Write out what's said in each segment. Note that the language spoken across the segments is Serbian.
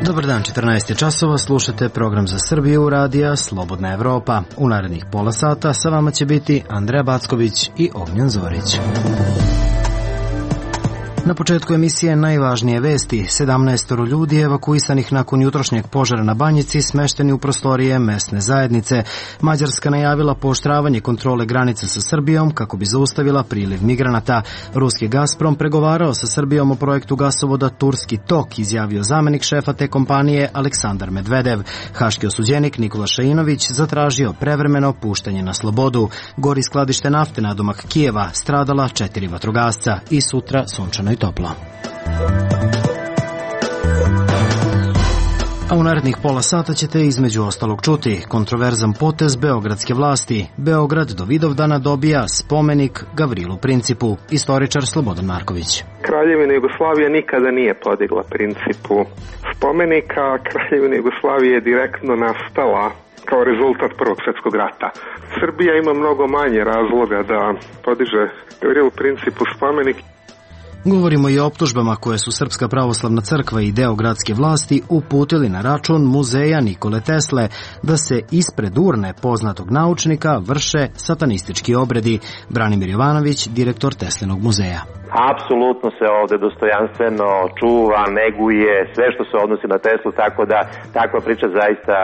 Dobar dan, 14 časova, slušate program za Srbiju radija Slobodna Evropa. U narednih pola sata sa vama će biti Andreja Backović i Ognjen Zorić. Na početku emisije najvažnije vesti. 17 ljudi evakuisanih nakon jutrošnjeg požara na Banjici smešteni u prostorije mesne zajednice. Mađarska najavila pooštravanje kontrole granica sa Srbijom kako bi zaustavila priliv migranata. Ruski Gazprom pregovarao sa Srbijom o projektu gasovoda Turski tok, izjavio zamenik šefa te kompanije Aleksandar Medvedev. Haški osuđenik Nikola Šainović zatražio prevremeno puštanje na slobodu. Gori skladište nafte nadomak Kijeva, stradala 4 vatrogasca i sutra sunčano i toplo. A u narednih pola sata ćete između ostalog čuti kontroverzan potez beogradske vlasti. Beograd do Vidovdana dobija spomenik Gavrilu Principu. Istoričar Slobodan Marković. Kraljevina Jugoslavija nikada nije podigla Principu spomenika. Kraljevina Jugoslavija je direktno nastala kao rezultat Prvog svjetskog rata. Srbija ima mnogo manje razloga da podiže Gavrilu Principu spomenik. Govorimo i o optužbama koje su Srpska pravoslavna crkva i deo gradske vlasti uputili na račun muzeja Nikole Tesle da se ispred urne poznatog naučnika vrše satanistički obredi. Branimir Jovanović, direktor Teslinog muzeja. Apsolutno se ovde dostojanstveno čuva, neguje sve što se odnosi na Teslu, tako da takva priča zaista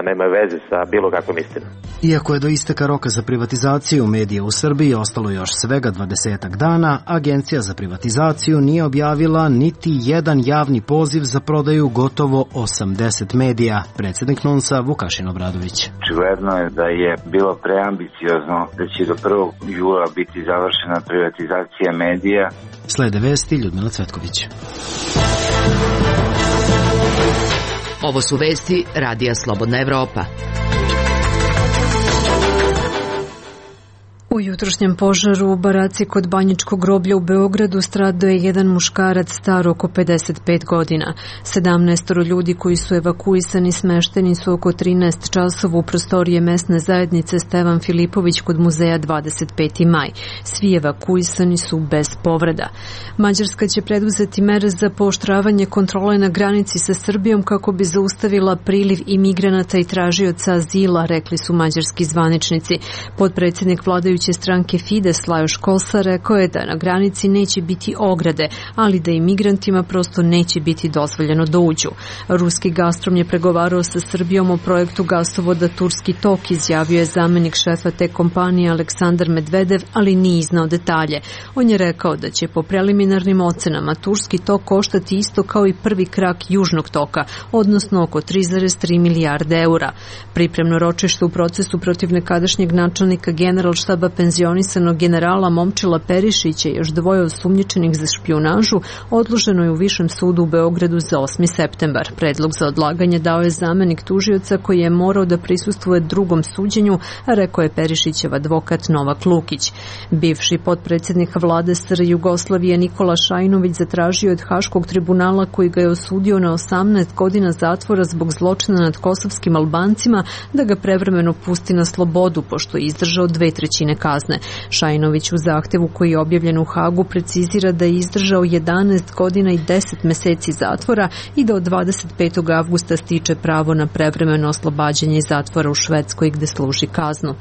nema veze sa bilo kakvom istinom. Iako je do isteka roka za privatizaciju medija u Srbiji ostalo još svega 20 dana, Agencija za privatizaciju nije objavila niti jedan javni poziv za prodaju gotovo 80 medija. Predsjednik NUNS-a Vukašin Obradović. Očigledno je da je bilo preambiciozno da će do 1. jula biti završena privatizacija medija. Slede vesti, Ljudmila Cvetković. Ovo su vesti radija Slobodna Evropa. U jutrošnjem požaru u baraci kod Banjičkog groblja u Beogradu stradao je jedan muškarac star oko 55 godina. 17 ljudi koji su evakuisani smešteni su oko 13 časova u prostorije mesne zajednice Stevan Filipović kod muzeja 25. maj. Svi evakuisani su bez povreda. Mađarska će preduzeti mere za pooštravanje kontrole na granici sa Srbijom kako bi zaustavila priliv imigranata i tražioca azila, rekli su mađarski zvaničnici. Potpredsjednik vladajuće stranke Fides Lajos Kosar rekao je da na granici neće biti ograde, ali da imigrantima prosto neće biti dozvoljeno da uđu. Ruski Gazprom je pregovarao sa Srbijom o projektu gasovoda Turski tok, izjavio je zamenik šefa te kompanije Aleksandar Medvedev, ali nije iznao detalje. On je rekao da će po preliminarnim ocenama Turski tok koštati isto kao i prvi krak Južnog toka, odnosno oko 3,3 milijarde eura. Pripremno ročište u procesu protiv nekadašnjeg načelnika Generalštaba penzionisanog generala Momčila Perišića i još 2 osumnjičenih za špijunažu odloženo je u Višem sudu u Beogradu za 8. septembar. Predlog za odlaganje dao je zamenik tužioca koji je morao da prisustvuje drugom suđenju, a rekao je Perišićev advokat Novak Lukić. Bivši potpredsjednik vlade SR Jugoslavije Nikola Šajinović zatražio od Haškog tribunala koji ga je osudio na 18 godina zatvora zbog zločina nad kosovskim Albancima da ga prevremeno pusti na slobodu pošto je izdržao 2/3 kazne. Šajinović u zahtevu koji je objavljen u Hagu precizira da je izdržao 11 godina i 10 meseci zatvora i da od 25. avgusta stiče pravo na prevremeno oslobađanje iz zatvora u Švedskoj gde služi kaznu.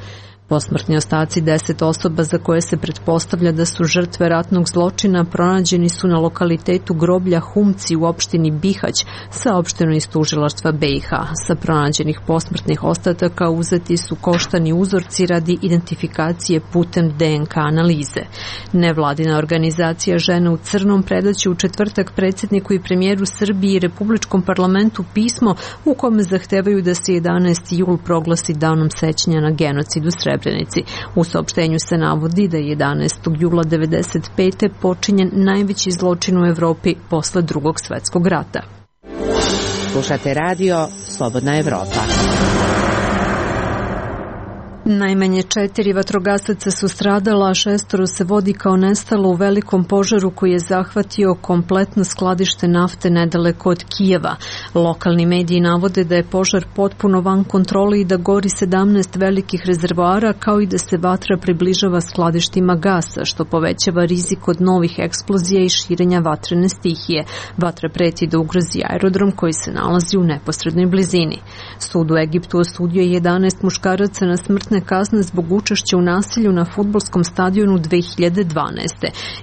Posmrtni ostaci 10 osoba za koje se pretpostavlja da su žrtve ratnog zločina pronađeni su na lokalitetu groblja Humci u opštini Bihać, saopšteno iz tužilaštva BiH. Sa pronađenih posmrtnih ostataka uzeti su koštani uzorci radi identifikacije putem DNK analize. Nevladina organizacija Žene u crnom predaće u četvrtak predsjedniku i premijeru Srbije i Republičkom parlamentu pismo u kome zahtevaju da se 11. jul proglasi danom sećanja na genocid u Srebrenici. U saopštenju se navodi da je 11. jula 1995. počinjen najveći zločin u Evropi posle Drugog svjetskog rata. Slušate radio Slobodna Evropa. Najmanje 4 vatrogasaca su stradala, a 6 se vodi kao nestalo u velikom požaru koji je zahvatio kompletno skladište nafte nedaleko od Kijeva. Lokalni mediji navode da je požar potpuno van kontrole i da gori 17 velikih rezervoara, kao i da se vatra približava skladištima gasa, što povećava rizik od novih eksplozija i širenja vatrene stihije. Vatra preti da ugrozi aerodrom koji se nalazi u neposrednoj blizini. Sud u Egiptu osudio je 11 muškaraca na smrtne kazne zbog učešća u nasilju na fudbalskom stadionu 2012.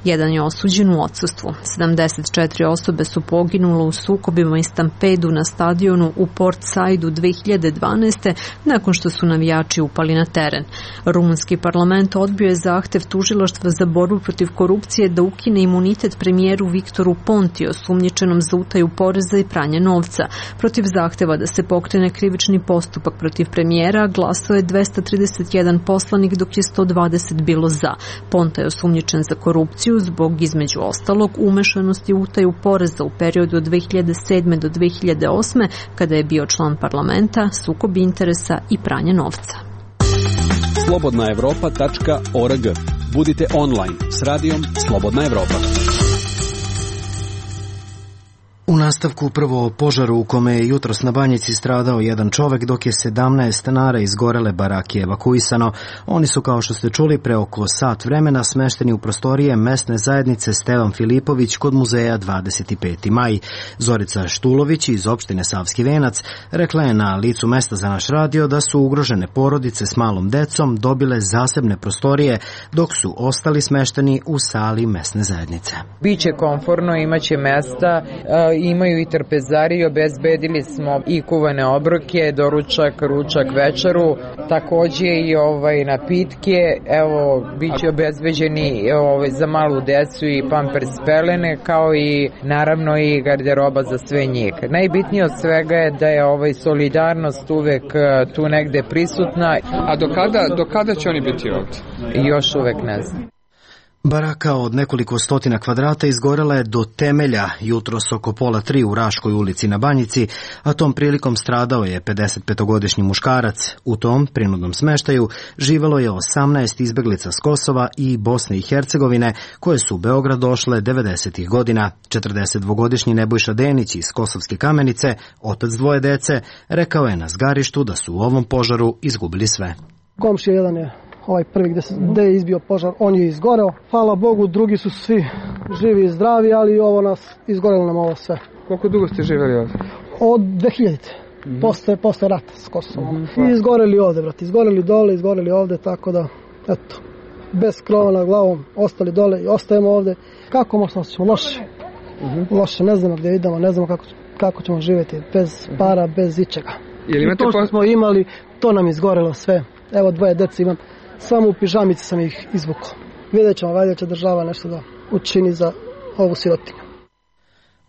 Jedan je osuđen u odsustvu. 74 osobe su poginule u sukobima i stampedu na stadionu u Port Saidu 2012. nakon što su navijači upali na teren. Rumunski parlament odbio je zahtev tužilaštva za borbu protiv korupcije da ukine imunitet premijeru Viktoru Pontiju, osumnjičenom za utaju poreza i pranje novca. Protiv zahteva da se pokrene krivični postupak protiv premijera glasao je 231 poslanik, dok je 120 bilo za. Ponta je osumnjičen za korupciju zbog, između ostalog, umešanosti u utaju poreza u periodu od 2007. do 2008. kada je bio član parlamenta, sukob interesa i pranje novca. Slobodnaevropa.org. Budite online s radijom Slobodna Evropa. U nastavku prvo o požaru u kome je jutros na Banjici stradao jedan čovek, dok je 17 stanara izgorele barake evakuisano. Oni su, kao što ste čuli, pre oko sat vremena smešteni u prostorije mesne zajednice Stevan Filipović kod muzeja 25. maj. Zorica Štulović iz opštine Savski Venac rekla je na licu mesta za naš radio da su ugrožene porodice s malom decom dobile zasebne prostorije, dok su ostali smešteni u sali mesne zajednice. Biće komforno, imaće mesta, imaju i trpezari, obezbedili smo i kuvane obroke, doručak, ručak, večeru, takođe i napitke, evo, bit će obezbeđeni za malu decu i pampers pelene, kao i naravno i garderoba za sve njih. Najbitnije od svega je da je solidarnost uvek tu negde prisutna. A do kada će oni biti ovdje? Još uvek ne znam. Baraka od nekoliko stotina kvadrata izgorela je do temelja jutros oko 2:30 u Raškoj ulici na Banjici, a tom prilikom stradao je 55-godišnji muškarac. U tom prinudnom smeštaju živelo je 18 izbeglica s Kosova i Bosne i Hercegovine, koje su u Beograd došle 90. godina. 42-godišnji Nebojša Denić iz Kosovske Kamenice, otac dvoje dece, rekao je na zgarištu da su u ovom požaru izgubili sve. Komšija jedan je prvi gde je izbio požar, on je izgoreo. Hvala Bogu, drugi su svi živi i zdravi, ali izgorelo nam ovo sve. Koliko dugo ste živjeli ovdje? Od 2000. Posle rata s Kosovom. I izgoreli ovde, brate. Izgoreli dole, izgoreli ovde, tako da, eto, bez krova nad glavom, ostali dole i ostajemo ovde. Kako možemo se loše? Loše, ne znamo gdje idemo, ne znamo kako ćemo živjeti, bez para, bez ičega. I to što smo imali, to nam izgorelo sve. Evo, dvoje dece imam. Samo u pižamici sam ih izvukao. Vidjet ćemo, valjda će država nešto da učini za ovu sirotinju.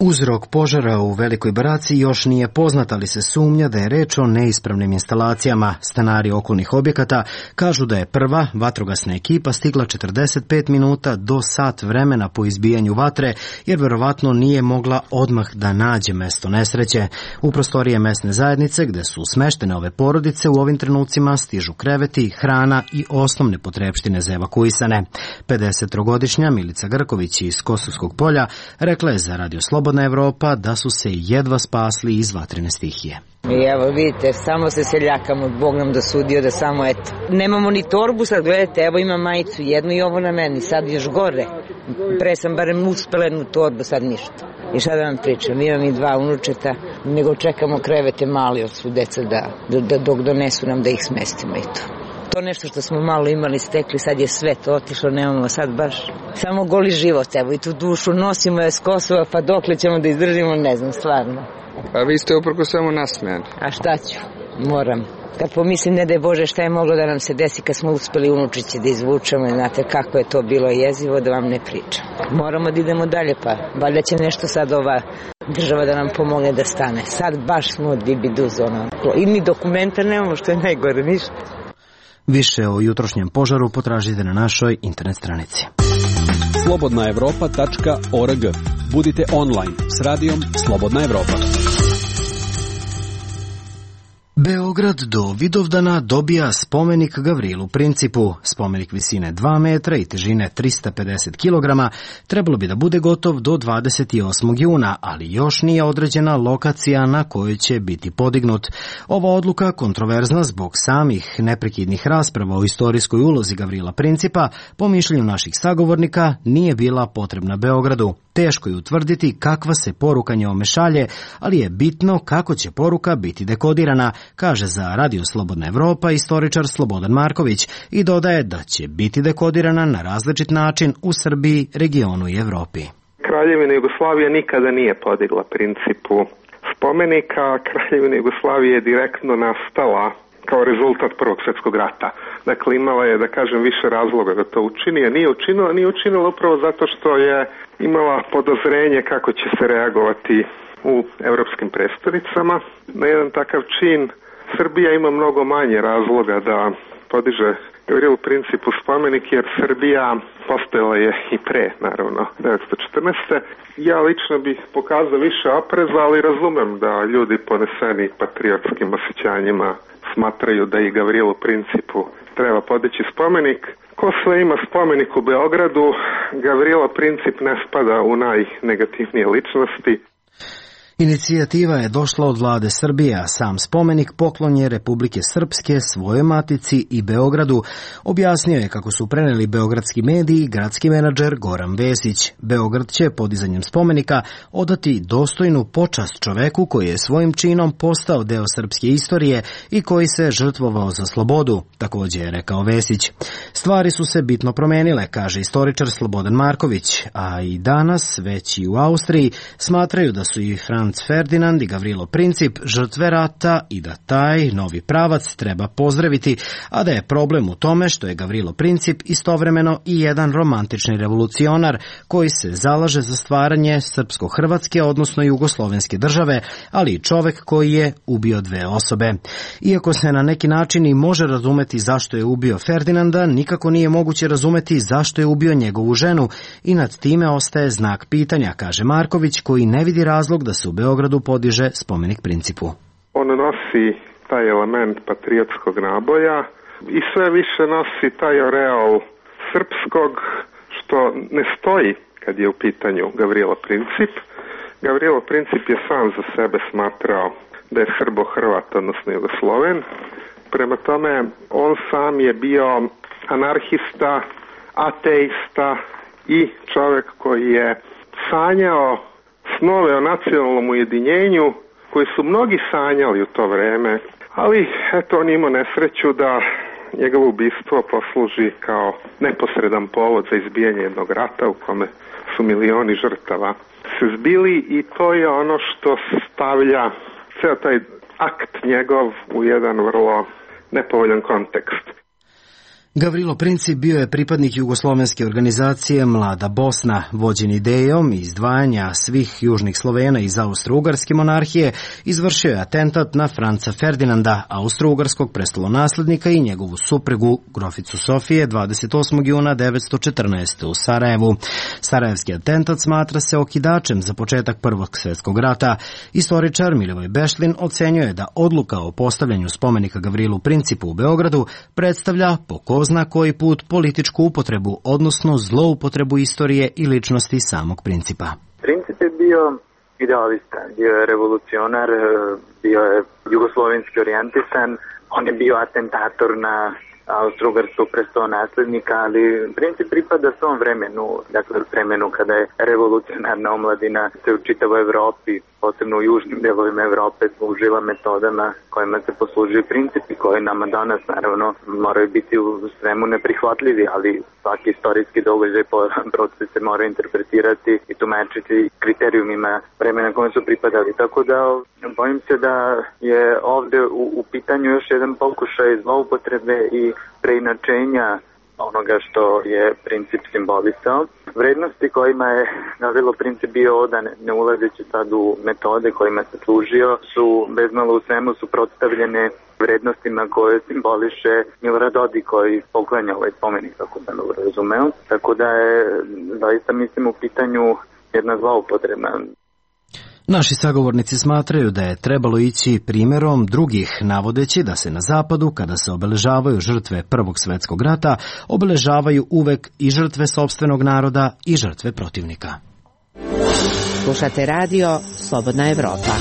Uzrok požara u Velikoj Baraci još nije poznat, ali se sumnja da je reč o neispravnim instalacijama. Stanari okolnih objekata kažu da je prva vatrogasna ekipa stigla 45 minuta do sat vremena po izbijanju vatre, jer verovatno nije mogla odmah da nađe mesto nesreće. U prostorije mesne zajednice, gde su smeštene ove porodice, u ovim trenucima stižu kreveti, hrana i osnovne potrepštine za evakuisane. 53-godišnja Milica Grković iz Kosovskog Polja rekla je za Radio Slobodna Evropa da su se jedva spasli iz vatrene stihije. I evo vidite, samo se seljakamo, Bog nam dosudio da samo eto. Nemamo ni torbu, sad gledajte, evo imam majicu jednu i ovo na meni, sad još gore. Pre sam barem uspela jednu torbu, sad ništa. I šta da vam pričam, imam i 2 unučeta, nego čekamo krevete mali od su deca dok donesu nam da ih smestimo i to. To nešto što smo malo imali stekli, sad je sve to otišlo, nemamo sad baš samo goli život, evo i tu dušu nosimo je s Kosova, pa dokle ćemo da izdržimo, ne znam, stvarno. A vi ste uprko svemu nasmejani. A šta ću, moram. Kad pomislim, ne daj Bože, šta je moglo da nam se desi kad smo uspeli unučiće da izvučemo, znate kako je to bilo jezivo, da vam ne pričam. Moramo da idemo dalje, pa valjda će nešto sad ova država da nam pomogne da stane. Sad baš smo dibiduz, i mi dokumenta nemamo, što je najgore, ništa. Više o jutrošnjem požaru potražite na našoj internet stranici. Slobodnaevropa.org. Budite online s radijom Slobodna Evropa. Beograd do Vidovdana dobija spomenik Gavrilu Principu. Spomenik visine 2 metra i težine 350 kg trebalo bi da bude gotov do 28. juna, ali još nije određena lokacija na kojoj će biti podignut. Ova odluka, kontroverzna zbog samih neprekidnih rasprava o istorijskoj ulozi Gavrila Principa, po mišljenju naših sagovornika, nije bila potrebna Beogradu. Teško je utvrditi kakva se poruka njome šalje, ali je bitno kako će poruka biti dekodirana, kaže za Radio Slobodna Evropa istoričar Slobodan Marković i dodaje da će biti dekodirana na različit način u Srbiji, regionu i Evropi. Kraljevina Jugoslavije nikada nije podigla Principu spomenika. Kraljevina Jugoslavije je direktno nastala kao rezultat Prvog svjetskog rata. Dakle, imala je, da kažem, više razloga da to učini, a nije učinila upravo zato što je imala podozrenje kako će se reagovati u evropskim prestonicama. Na jedan takav čin Srbija ima mnogo manje razloga da podiže Gavrilu Principu spomenik, jer Srbija postojala je i pre, naravno, 1914. Ja lično bih pokazao više opreza, ali razumem da ljudi poneseni patriotskim osjećanjima smatraju da i Gavrilu Principu treba podići spomenik. Ko sve ima spomenik u Beogradu, Gavrilo Princip ne spada u najnegativnije ličnosti. Inicijativa je došla od vlade Srbije, a sam spomenik poklon je Republike Srpske svojoj matici i Beogradu, objasnio je kako su preneli beogradski mediji i gradski menadžer Goran Vesić. Beograd će podizanjem spomenika odati dostojnu počast čoveku koji je svojim činom postao deo srpske istorije i koji se žrtvovao za slobodu, također je rekao Vesić. Stvari su se bitno promenile, kaže istoričar Slobodan Marković, a i danas, već i u Austriji, smatraju da su i Franc Ferdinand i Gavrilo Princip žrtve rata i da taj novi pravac treba pozdraviti, a da je problem u tome što je Gavrilo Princip istovremeno i jedan romantični revolucionar koji se zalaže za stvaranje srpsko-hrvatske, odnosno jugoslovenske države, ali i čovek koji je ubio dve osobe. Iako se na neki način i može razumeti zašto je ubio Ferdinanda, nikako nije moguće razumeti zašto je ubio njegovu ženu i nad time ostaje znak pitanja, kaže Marković, koji ne vidi razlog da se u Beogradu podiže spomenik Principu. On nosi taj element patriotskog naboja i sve više nosi taj oreol srpskog, što ne stoji kad je u pitanju Gavrilo Princip. Gavrilo Princip je sam za sebe smatrao da je Srbo-Hrvat, odnosno Jugosloven. Prema tome, on sam je bio anarhista, ateista i čovjek koji je sanjao snove o nacionalnom ujedinjenju koji su mnogi sanjali u to vreme, ali eto on imao nesreću da njegovo ubistvo posluži kao neposredan povod za izbijanje jednog rata u kome su milioni žrtava se zbili, i to je ono što stavlja ceo taj akt njegov u jedan vrlo nepovoljan kontekst. Gavrilo Princip bio je pripadnik jugoslovenske organizacije Mlada Bosna, vođen idejom izdvajanja svih južnih Slovena iz Austro-Ugarske monarhije, izvršio je atentat na Franca Ferdinanda, austro-ugarskog prestolonaslednika i njegovu suprugu, groficu Sofije, 28. juna 1914. u Sarajevu. Sarajevski atentat smatra se okidačem za početak Prvog svjetskog rata. Istoričar Milivoj Bešlin ocenjuje da odluka o postavljanju spomenika Gavrilu Principu u Beogradu predstavlja po ko zna koji put političku upotrebu, odnosno zloupotrebu istorije i ličnosti samog Principa. Princip je bio idealista, bio je revolucionar, bio je jugoslovenski orijentisan, on je bio atentator na austro-ugarskog prestolonaslednika, ali Princip pripada svom vremenu, dakle vremenu kada je revolucionarna omladina se u čitavoj Evropi, posebno u južnim delovima Evrope, služila metodama kojima se poslužuju Principi, koji nama danas naravno moraju biti u svemu neprihvatljivi, ali svaki istorijski događaj proces se mora interpretirati i tumačiti kriterijumima vremena kojim su pripadali. Tako da bojim se da je ovde u pitanju još jedan pokušaj zloupotrebe i preinačenja onoga što je Princip simbolisao. Vrednosti kojima je Gavrilo Princip bio odan, ne ulazeći sad u metode kojima se služio, su bezmalo u svemu suprotstavljene vrednostima koje simboliše Milorad Dodik, koji poklanja ovaj spomenik, kako sam dobro razumeo. Tako da je, zaista mislim, u pitanju jedna zloupotreba. Naši sagovornici smatraju da je trebalo ići primjerom drugih, navodeći da se na zapadu, kada se obeležavaju žrtve Prvog svjetskog rata, obeležavaju uvek i žrtve sopstvenog naroda i žrtve protivnika. Slušate radio Slobodna Evropa.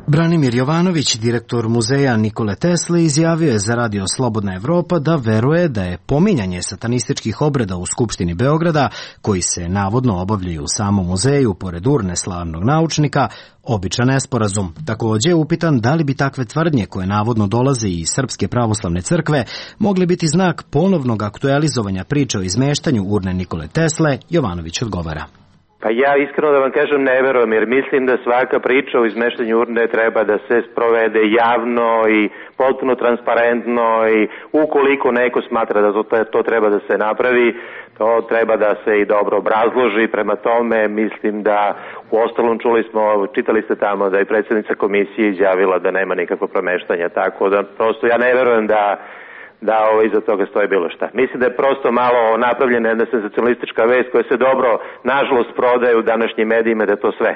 Branimir Jovanović, direktor muzeja Nikole Tesle, izjavio je za radio Slobodna Evropa da veruje da je pominjanje satanističkih obreda u Skupštini Beograda, koji se navodno obavljaju u samom muzeju pored urne slavnog naučnika, običan nesporazum. Također je upitan da li bi takve tvrdnje koje navodno dolaze iz Srpske pravoslavne crkve mogli biti znak ponovnog aktualizovanja priče o izmeštanju urne Nikole Tesle. Jovanović odgovara. Pa ja iskreno da vam kažem ne verujem, jer mislim da svaka priča o izmeštanju urne treba da se sprovede javno i potpuno transparentno, i ukoliko neko smatra da to treba da se napravi, to treba da se i dobro obrazloži. Prema tome mislim da, u ostalom čitali ste tamo da je predsjednica komisije izjavila da nema nikakvo promeštanja, tako da prosto ja ne verujem da iza toga stoji bilo šta. Mislim da je prosto malo napravljena jedna senzacionalistička vest koja se dobro, nažalost, prodaje u današnjim medijima, da je to sve.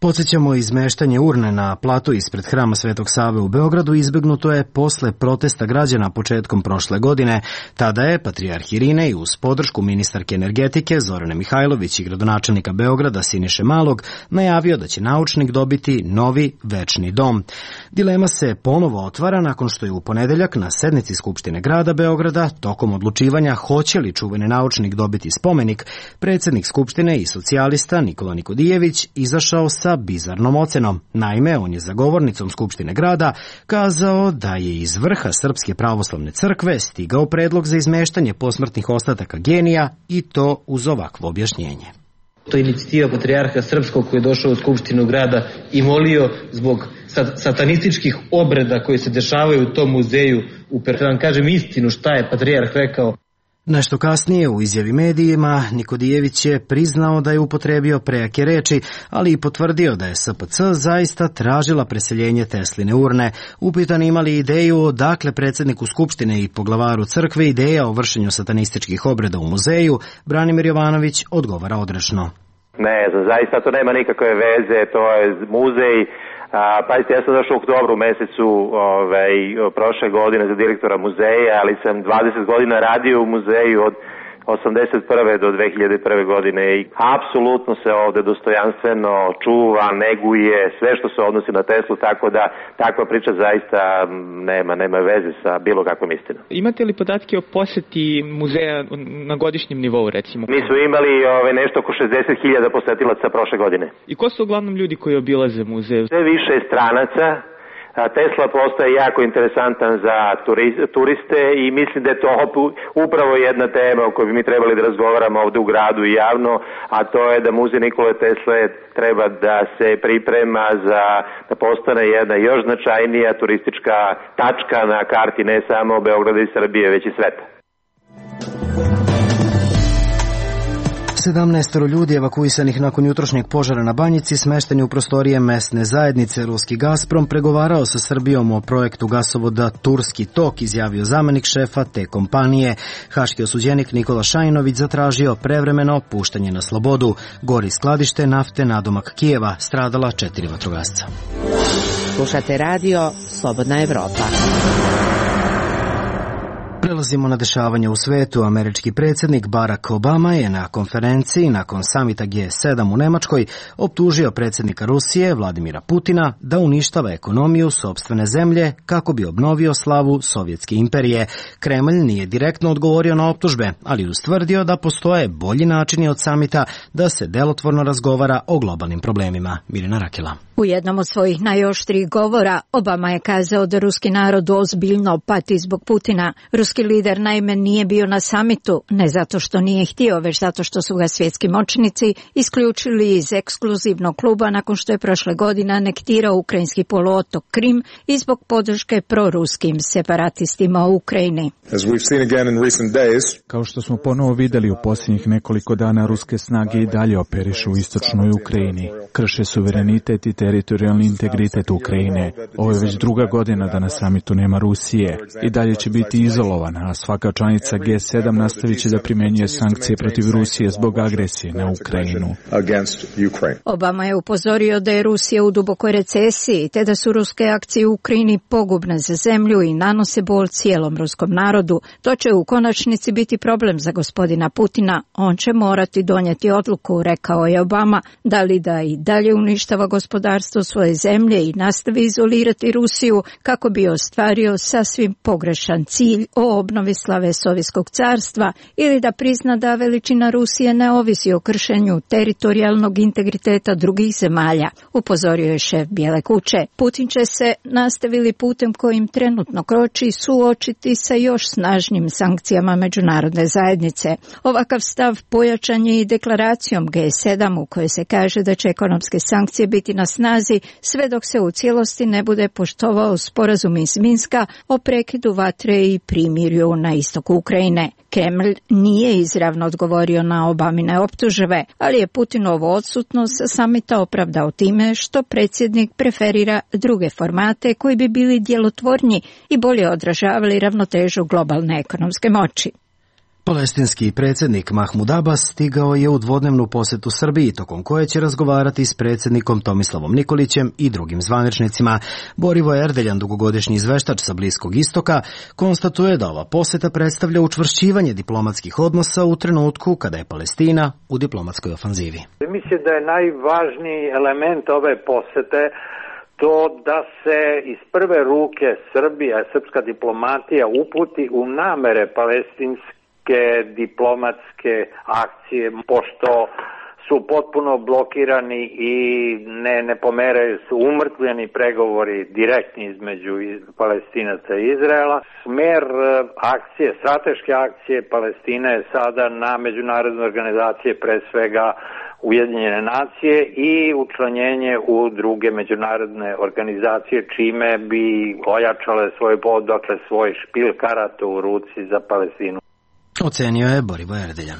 Podsjećamo, izmeštanje urne na platu ispred Hrama Svetog Save u Beogradu izbegnuto je posle protesta građana početkom prošle godine. Tada je patrijarh Irinej uz podršku ministarke energetike Zorane Mihajlović i gradonačelnika Beograda Siniše Malog najavio da će naučnik dobiti novi večni dom. Dilema se ponovo otvara nakon što je u ponedeljak na sednici Skupštine grada Beograda tokom odlučivanja hoće li čuveni naučnik dobiti spomenik, predsjednik Skupštine i socijalista Nikola Nikodijević izašao sa bizarnom ocenom. Naime, on je za govornicom Skupštine grada kazao da je iz vrha Srpske pravoslavne crkve stigao predlog za izmeštanje posmrtnih ostataka genija, i to uz ovakvo objašnjenje. To je inicijativa patrijarha Srpskog koji je došao u Skupštinu grada i molio zbog satanističkih obreda koji se dešavaju u tom muzeju. Da vam kažem istinu šta je patrijarh rekao. Nešto kasnije u izjavi medijima Nikodijević je priznao da je upotrebio prejake reči, ali i potvrdio da je SPC zaista tražila preseljenje Tesline urne. Upitan imali ideju odakle predsjedniku Skupštine i poglavaru crkve ideja o vršenju satanističkih obreda u muzeju, Branimir Jovanović odgovara odrešno. Ne, zaista to nema nikakve veze, to je muzej. Pazite, ja sam došao u oktobru mesecu prošle godine za direktora muzeja, ali sam 20 godina radio u muzeju od 81. do 2001. godine i apsolutno se ovde dostojanstveno čuva, neguje sve što se odnosi na Teslu, tako da takva priča zaista nema veze sa bilo kakvom istinom. Imate li podatke o poseti muzeja na godišnjem nivou, recimo? Mi smo imali nešto oko 60.000 posetilaca prošle godine. I ko su uglavnom ljudi koji obilaze muzej? Sve više stranaca. Tesla postaje jako interesantan za turiste i mislim da je to upravo jedna tema o kojoj bi mi trebali da razgovaramo ovde u gradu i javno, a to je da muzej Nikole Tesle treba da se priprema da postane jedna još značajnija turistička tačka na karti ne samo Beograda i Srbije, već i sveta. 17 ljudi evakuisanih nakon jutrošnjeg požara na Banjici smešteni u prostorije mesne zajednice. Ruski Gazprom pregovarao sa Srbijom o projektu gasovoda Turski tok, izjavio zamenik šefa te kompanije. Haški osuđenik Nikola Šajinović zatražio prevremeno puštanje na slobodu. Gori skladište nafte nadomak Kijeva, stradala 4 vatrogasca. Slušate radio Slobodna Evropa. Prelazimo na dešavanje u svetu. Američki predsjednik Barack Obama je na konferenciji nakon samita G7 u Nemačkoj optužio predsjednika Rusije Vladimira Putina da uništava ekonomiju sopstvene zemlje kako bi obnovio slavu Sovjetske imperije. Kremlj nije direktno odgovorio na optužbe, ali ustvrdio da postoje bolji načini od samita da se delotvorno razgovara o globalnim problemima. Mirjana Rakela. U jednom od svojih najoštrijih govora Obama je kazao da ruski narod ozbiljno pati zbog Putina. Ruski lider naime nije bio na samitu, ne zato što nije htio, već zato što su ga svjetski moćnici isključili iz ekskluzivnog kluba nakon što je prošle godine anektirao ukrajinski poluotok Krim i zbog podrške proruskim separatistima u Ukrajini. Kao što smo ponovo vidjeli u posljednjih nekoliko dana, ruske snage i dalje operišu u istočnoj Ukrajini. Krše suverenitet i teritorijalni integritet Ukrajine. Ovo je već druga godina da na samitu nema Rusije. I dalje će biti izolovana. a svaka članica G7 nastavit će da primjenjuje sankcije protiv Rusije zbog agresije na Ukrajinu. Obama je upozorio da je Rusija u dubokoj recesiji, te da su ruske akcije u Ukrajini pogubne za zemlju i nanose bol cijelom ruskom narodu. To će u konačnici biti problem za gospodina Putina. On će morati donijeti odluku, rekao je Obama, da li da i dalje uništava gospodarstvo svoje zemlje i nastavi izolirati Rusiju kako bi ostvario sasvim pogrešan cilj o obnovi slave Sovjetskog carstva, ili da prizna da veličina Rusije ne ovisi o kršenju teritorijalnog integriteta drugih zemalja, upozorio je šef Bijele kuće. Putin će se, nastavili putem kojim trenutno kroči, suočiti sa još snažnim sankcijama međunarodne zajednice. Ovakav stav pojačan je i deklaracijom G7 u kojoj se kaže da će ekonomske sankcije biti na snazi sve dok se u cijelosti ne bude poštovao sporazum iz Minska o prekidu vatre i primirju na istoku Ukrajine. Kremlj nije izravno odgovorio na Obamine optužbe, ali je Putinovu odsutnost sa samita opravdao time što predsjednik preferira druge formate koji bi bili djelotvorniji i bolje odražavali ravnotežu globalne ekonomske moći. Palestinski predsjednik Mahmud Abbas stigao je u dvodnevnu posjetu Srbiji, tokom koje će razgovarati s predsjednikom Tomislavom Nikolićem i drugim zvaničnicima. Borivoje Erdeljan, dugogodišnji izveštač sa Bliskog istoka, konstatuje da ova posjeta predstavlja učvršćivanje diplomatskih odnosa u trenutku kada je Palestina u diplomatskoj ofanzivi. Mislim da je najvažniji element ove posjete to da se iz prve ruke Srbija, srpska diplomatija uputi u namere palestinske diplomatske akcije, pošto su potpuno blokirani i ne pomeraju, su umrtvljeni pregovori direktni između Palestinaca i Izraela. Smer akcije, strateške akcije Palestine je sada na međunarodne organizacije, pre svega Ujedinjene nacije, i učlanjenje u druge međunarodne organizacije, čime bi ojačale svoj špil karata u ruci za Palestinu. Ocenio je Borivoje Erdeljan.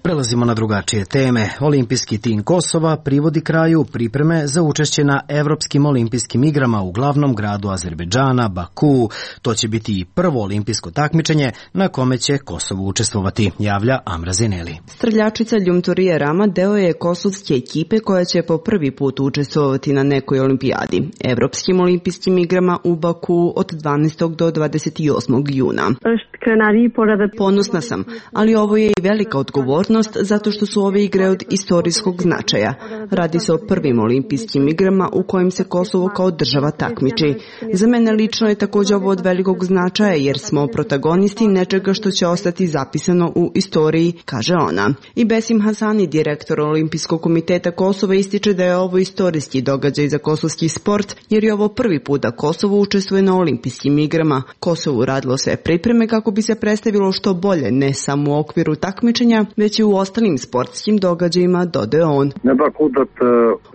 Prelazimo na drugačije teme. Olimpijski tim Kosova privodi kraju pripreme za učešće na Evropskim olimpijskim igrama u glavnom gradu Azerbejdžana, Bakuu. To će biti i prvo olimpijsko takmičenje na kome će Kosovo učestvovati, javlja Amra Zeneli. Streljačica Ljumtorije Rama deo je kosovske ekipe koja će po prvi put učestvovati na nekoj olimpijadi. Evropskim olimpijskim igrama u Bakuu od 12. do 28. juna. Ponosna sam, ali ovo je i velika odgovornost zato što su ove igre od istorijskog značaja. Radi se o prvim olimpijskim igrama u kojim se Kosovo kao država takmiči. Za mene lično je također ovo od velikog značaja jer smo protagonisti nečega što će ostati zapisano u istoriji, kaže ona. I Besim Hasani, direktor Olimpijskog komiteta Kosova, ističe da je ovo istorijski događaj za kosovski sport jer je ovo prvi put da Kosovo učestvuje na olimpijskim igrama. Kosovo uradilo sve pripreme kako bi se predstavilo što bolje, ne samo u okviru takmičenja, već i u ostalim sportskim događajima, dodaje on.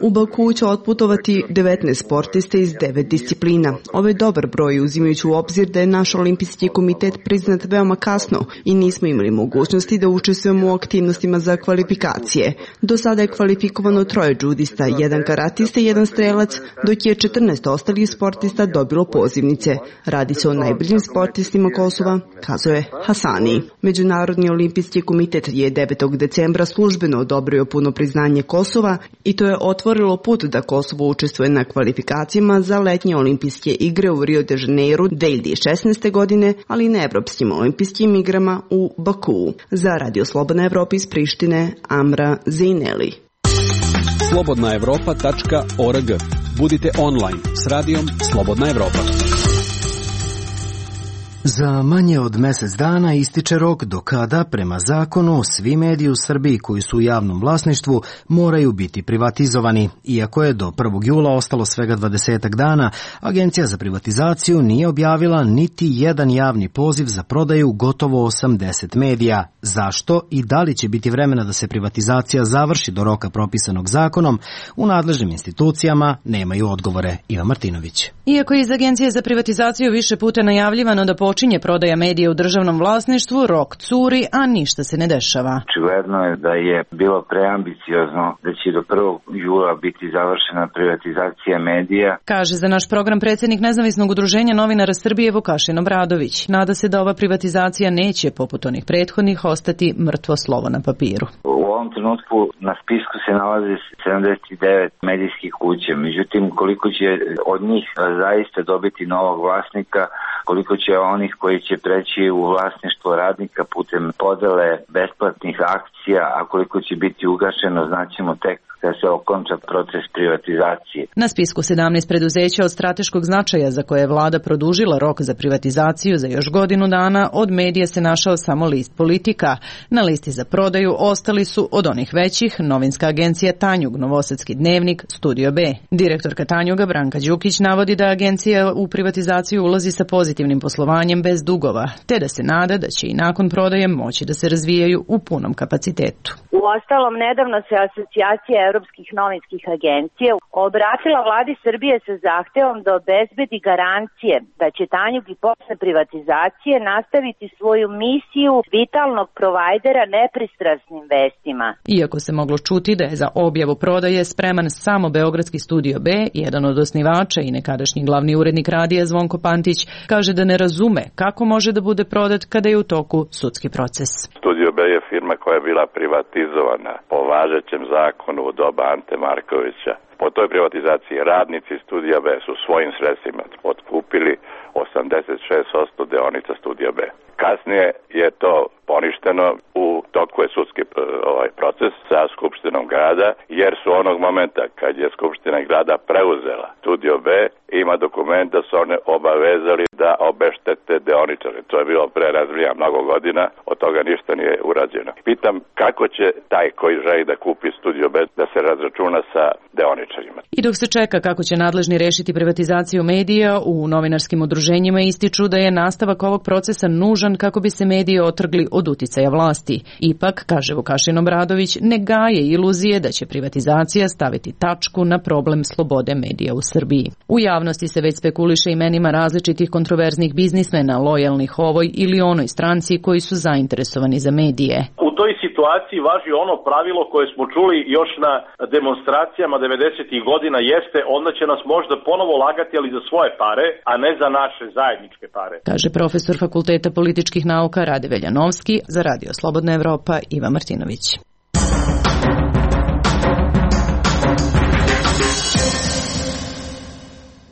U Baku će otputovati 19 sportiste iz 9 disciplina. Ovo je dobar broj uzimajući u obzir da je naš olimpijski komitet priznat veoma kasno i nismo imali mogućnosti da učestvujemo u aktivnostima za kvalifikacije. Do sada je kvalifikovano 3 džudista, 1 karatista i 1 strelac, dok je 14 ostalih sportista dobilo pozivnice. Radi se o najboljim sportistima Kosova, kazuje Hasani. Međunarodni olimpijski komitet je 9. decembra službeno odobrio puno priznanje Kosova i to je otvorilo put da Kosovo učestvuje na kvalifikacijama za letnje olimpijske igre u Rio de Janeiro 2016. godine, ali i na Evropskim olimpijskim igrama u Bakuu. Za Radio Slobodna Evropa iz Prištine, Amra Zineli. slobodnaevropa.org. Budite online s radijom Slobodna Evropa. Za manje od mjesec dana ističe rok do kada, prema zakonu, svi mediji u Srbiji koji su u javnom vlasništvu moraju biti privatizovani. Iako je do 1. jula ostalo svega 20 dana, Agencija za privatizaciju nije objavila niti jedan javni poziv za prodaju gotovo 80 medija. Zašto i da li će biti vremena da se privatizacija završi do roka propisanog zakonom, u nadležnim institucijama nemaju odgovore. Iva Martinović. Iako je iz Agencije za privatizaciju više puta najavljivano da počne počinje prodaja medija u državnom vlasništvu, rok curi, a ništa se ne dešava. Očigledno je da je bilo preambiciozno da će do 1. jula biti završena privatizacija medija. Kaže za naš program predsjednik Nezavisnog udruženja novinara Srbije Vukašin Obradović. Nada se da ova privatizacija neće, poput onih prethodnih, ostati mrtvo slovo na papiru. U ovom trenutku na spisku se nalazi 79 medijskih kuća. Međutim, koliko će od njih zaista dobiti novog vlasnika, koliko će onih koji će preći u vlasništvo radnika putem podele besplatnih akcija, a koliko će biti ugašeno, znaćemo tek da se okonča proces privatizacije. Na spisku 17 preduzeća od strateškog značaja za koje je vlada produžila rok za privatizaciju za još godinu dana, od medija se našao samo list Politika. Na listi za prodaju ostali su od onih većih novinska agencija Tanjug, Novosadski dnevnik, Studio B. Direktorka Tanjuga Branka Đukić navodi da agencija u privatizaciju ulazi sa pozitivnim poslovanjem bez dugova, te da se nada da će i nakon prodaje moći da se razvijaju u punom kapacitetu. Uostalom, nedavno se asocijacija Europskih novinskih agencija obratila vladi Srbije sa zahtevom da obezbedi garancije da će Tanjug i posle privatizacije nastaviti svoju misiju vitalnog provajdera nepristrasnim vestima. Iako se moglo čuti da je za objavu prodaje spreman samo beogradski Studio B, jedan od osnivača i nekadašnji glavni urednik radija Zvonko Pantić kaže da ne razume kako može da bude prodat kada je u toku sudski proces. Studio B je firma koja je bila privatizovana po važećem zakonu u doba Ante Markovića. Po toj privatizaciji radnici Studija B su svojim sredstvima otkupili 86% dionica Studija B. Kasnije je to poništeno, u toku je sudski proces sa Skupštinom grada, jer su onog momenta kad je Skupština grada preuzela Studio B, ima dokument da su one obavezali da obeštete deoničare. To je bilo pre razlija mnogo godina, od toga ništa nije urađeno. Pitam kako će taj koji želi da kupi Studio B da se razračuna sa deoničarima. I dok se čeka kako će nadležni rešiti privatizaciju medija, u novinarskim udruženjima ističu da je nastavak ovog procesa nužan kako bi se mediji otrgli od uticaja vlasti. Ipak, kaže Vukašin Obradović, ne gaje iluzije da će privatizacija staviti tačku na problem slobode medija u Srbiji. U javnosti se već spekuliše imenima različitih kontroverznih biznismena, lojalnih ovoj ili onoj stranci koji su zainteresovani za medije. U toj situaciji važi ono pravilo koje smo čuli još na demonstracijama 90-ih godina, jeste onda će nas možda ponovo lagati, ali za svoje pare, a ne za naše zajedničke pare. Kaže profesor Fakulteta političkih nauka Rade Veljanovski, za Radio Slobodna Evropa Iva Martinović.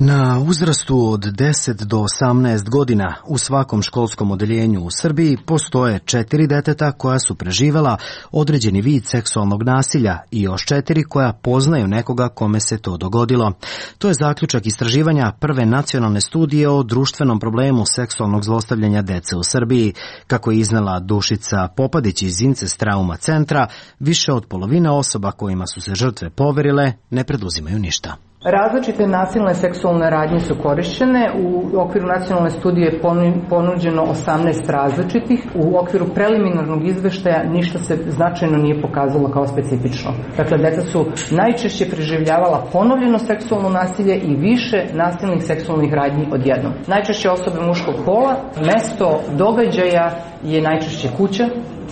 Na uzrastu od 10 do 18 godina u svakom školskom odeljenju u Srbiji postoje 4 deteta koja su preživela određeni vid seksualnog nasilja i još 4 koja poznaju nekoga kome se to dogodilo. To je zaključak istraživanja prve nacionalne studije o društvenom problemu seksualnog zlostavljanja dece u Srbiji. Kako je iznela Dušica Popadić iz Incest Trauma centra, više od polovine osoba kojima su se žrtve poverile ne preduzimaju ništa. Različite nasilne seksualne radnje su korišćene. U okviru nacionalne studije je ponuđeno 18 različitih. U okviru preliminarnog izveštaja ništa se značajno nije pokazalo kao specifično. Dakle, deca su najčešće preživljavala ponovljeno seksualno nasilje i više nasilnih seksualnih radnji odjednom. Najčešće osobe muškog pola, mesto događaja je najčešće kuća,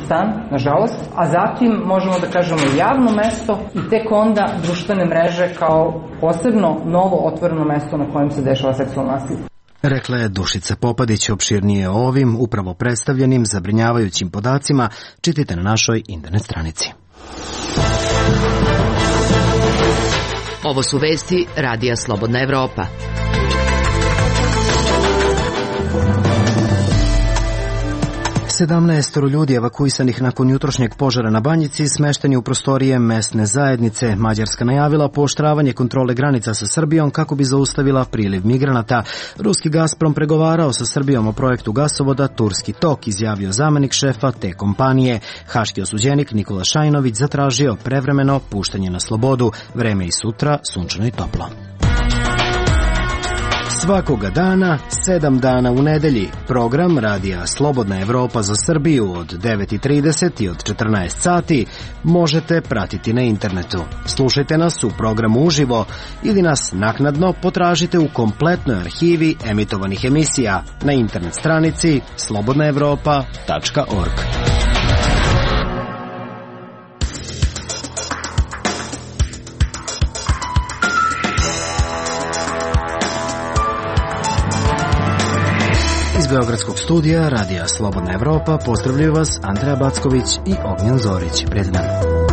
stan, nažalost, a zatim možemo da kažemo javno mesto i tek onda društvene mreže kao posebno novo otvoreno mesto na kojem se dešava seksualno nasilje. Rekla je Dušica Popadić. Opširnije o ovim upravo predstavljenim zabrinjavajućim podacima čitajte na našoj internet stranici. Ovo su vesti Radija Slobodna Evropa. 17 ljudi evakuisanih nakon jutrošnjeg požara na Banjici smešteni u prostorije mesne zajednice. Mađarska najavila pooštravanje kontrole granica sa Srbijom kako bi zaustavila priliv migranata. Ruski Gazprom pregovarao sa Srbijom o projektu gasovoda Turski tok, izjavio zamenik šefa te kompanije. Haški osuđenik Nikola Šajnović zatražio prevremeno puštanje na slobodu. Vreme i sutra sunčano i toplo. Svakoga dana, 7 dana u nedelji, program Radija Slobodna Evropa za Srbiju od 9:30 i od 14 sati možete pratiti na internetu. Slušajte nas u programu uživo ili nas naknadno potražite u kompletnoj arhivi emitovanih emisija na internet stranici slobodnaevropa.org. Iz Beogradskog studija Radija Slobodna Evropa pozdravljaju vas Andreja Backović i Ognjen Zorić. Prijatno.